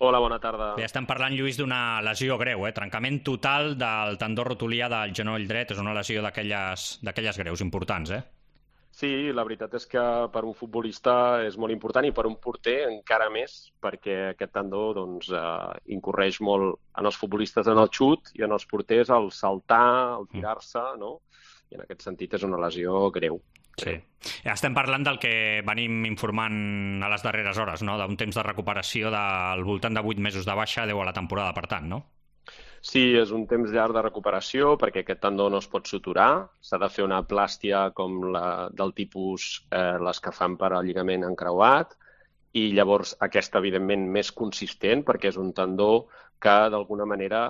Hola, bona tarda. Bé, estem parlant, Lluís, d'una lesió greu, trencament total del tendó rotulià del genoll dret. És una lesió d'aquelles greus, importants, Sí, la veritat és que per un futbolista és molt important i per un porter encara més, perquè aquest tendó incorreix molt en els futbolistes en el xut i en els porters el saltar, el tirar-se, no? I en aquest sentit és una lesió greu. Sí. Estem parlant del que venim informant a les darreres hores, no? D'un temps de recuperació del voltant de 8 mesos de baixa, 10 a la temporada, per tant, no? Sí, és un temps llarg de recuperació perquè aquest tendó no es pot suturar. S'ha de fer una plàstia com del tipus les que fan per al lligament encreuat i llavors aquesta, evidentment, més consistent perquè és un tendó que d'alguna manera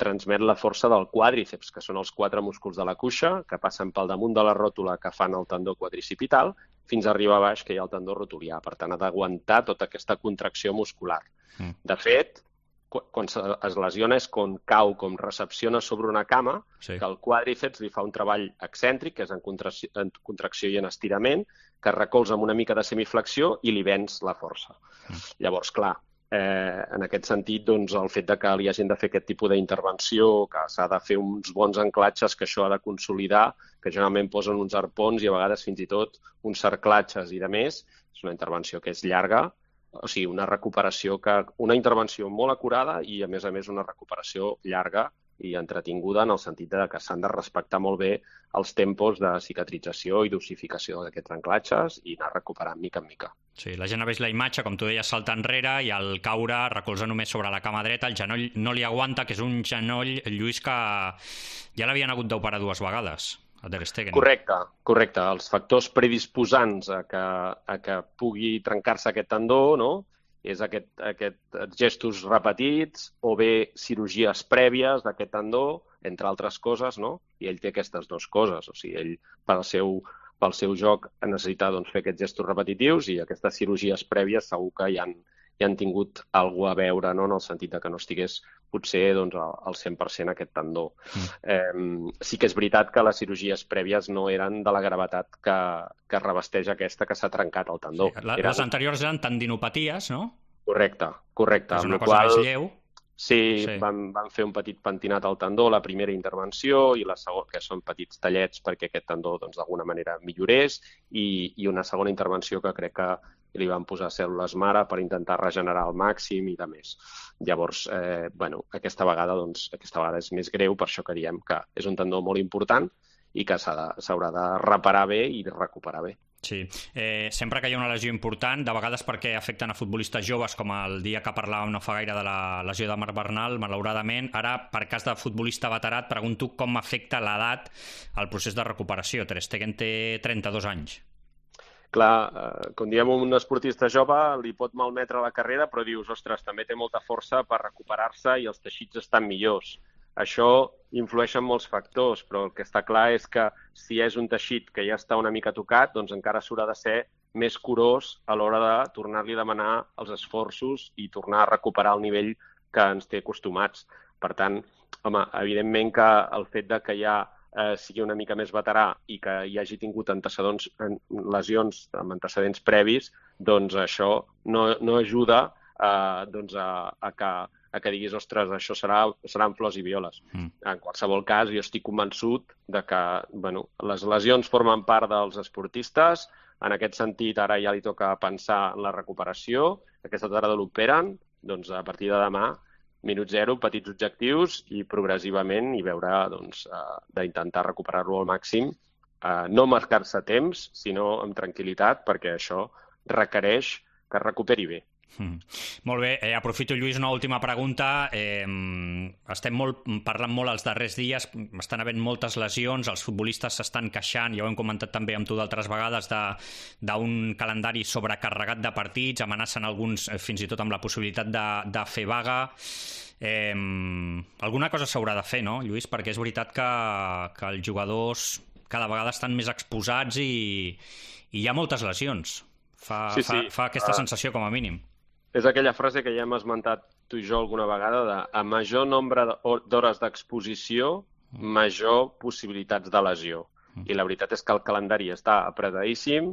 transmet la força del quàdriceps, que són els 4 músculs de la cuixa que passen pel damunt de la ròtula que fan el tendó quadricipital fins a arribar a baix, que hi ha el tendó rotulià. Per tant, ha d'aguantar tota aquesta contracció muscular. De fet, quan es lesiona és quan cau, com recepciona sobre una cama, sí, que el quàdriceps li fa un treball excèntric, que és en contracció i en estirament, que recolza amb una mica de semiflexió i li venç la força. Llavors, clar, en aquest sentit, el fet de que li hagin de fer aquest tipus d'intervenció, que s'ha de fer uns bons anclatges, que això ha de consolidar, que generalment posen uns arpons i a vegades fins i tot uns cerclatges i de més, és una intervenció que és llarga, o sigui, una intervenció molt acurada i, a més, una recuperació llarga i entretinguda en el sentit que s'han de respectar molt bé els tempos de cicatrització i dosificació d'aquests anclatges i anar recuperant mica en mica. Sí, la gent ha vist la imatge, com tu deies, salta enrere i al caure recolza només sobre la cama dreta, el genoll no li aguanta, que és un genoll, Lluís, que ja l'havien hagut d'operar 2 vegades. Correcte. Els factors predisposants a que pugui trencar-se aquest tendó, no? És aquests gestos repetits o bé cirurgies prèvies d'aquest tendó, entre altres coses, no? I ell té aquestes 2 coses. O sigui, ell, pel seu joc, necessita fer aquests gestos repetitius i aquestes cirurgies prèvies segur que hi han tingut alguna cosa a veure, no? En el sentit que no estigués potser al 100% aquest tendó. Sí que és veritat que les cirurgies prèvies no eren de la gravetat que revesteix aquesta que s'ha trencat el tendó. Sí, les anteriors eren tendinopaties, no? Correcte. És una cosa més lleu. Sí, van fer un petit pentinat al tendó, la primera intervenció, i la segona, que són petits tallets perquè aquest tendó d'alguna manera millorés, i una segona intervenció que crec que li van posar cèl·lules mare per intentar regenerar al màxim i de més. Llavors, aquesta vegada és més greu, per això que diem que és un tendó molt important i que s'haurà de reparar bé i recuperar bé. Sí, sempre que hi ha una lesió important, de vegades perquè afecten a futbolistes joves, com el dia que parlàvem no fa gaire de la lesió de Marc Bernal, malauradament. Ara, per cas de futbolista veterat, pregunto com afecta l'edat al procés de recuperació. Ter Stegen té 32 anys. Clar, quan diem un esportista jove li pot malmetre la carrera, però dius, ostres, també té molta força per recuperar-se i els teixits estan millors. Això influeix en molts factors, però el que està clar és que si és un teixit que ja està una mica tocat, doncs encara s'haurà de ser més curós a l'hora de tornar-li a demanar els esforços i tornar a recuperar el nivell que ens té acostumats. Per tant, home, evidentment que el fet de que ja sigui una mica més veterà i que hi hagi tingut lesions amb antecedents previs, doncs això no ajuda a que diguis, ostres, això seran flors i violes. En qualsevol cas, jo estic convençut de que les lesions formen part dels esportistes. En aquest sentit, ara ja li toca pensar en la recuperació. Aquesta tarda l'operen, doncs a partir de demà, minut 0, petits objectius i progressivament i veure d'intentar recuperar-lo al màxim. No marcar-se temps, sinó amb tranquil·litat, perquè això requereix que es recuperi bé. Molt bé, aprofito, Lluís, una última pregunta. Estem parlant molt els darrers dies, estan havent moltes lesions, els futbolistes s'estan queixant, ja ho hem comentat també amb tu d'altres vegades, d'un calendari sobrecarregat de partits, amenacen alguns fins i tot amb la possibilitat de fer vaga. Alguna cosa s'haurà de fer, no, Lluís? Perquè és veritat que els jugadors cada vegada estan més exposats i hi ha moltes lesions. Fa aquesta sensació com a mínim. És aquella frase que ja hem esmentat tu i jo alguna vegada de a major nombre d'hores d'exposició, major possibilitats de lesió. I la veritat és que el calendari està apretadíssim,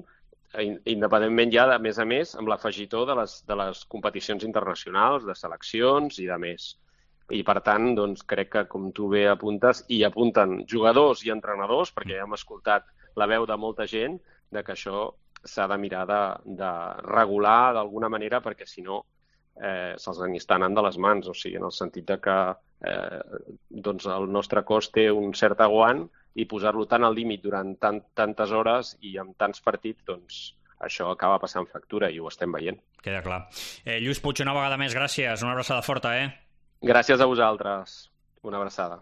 independentment ja, a més, amb l'afegitó de les competicions internacionals, de seleccions i de més. I, per tant, doncs, crec que, com tu bé apuntes, i apunten jugadors i entrenadors, perquè ja hem escoltat la veu de molta gent, de que això s'ha de mirar de regular d'alguna manera, perquè, si no, se'ls està anant de les mans. O sigui, en el sentit de que doncs el nostre cos té un cert aguant i posar-lo tan al límit durant tantes hores i amb tants partits, doncs això acaba passant factura i ho estem veient. Queda clar. Lluís Puig, una vegada més, gràcies. Una abraçada forta, Gràcies a vosaltres. Una abraçada.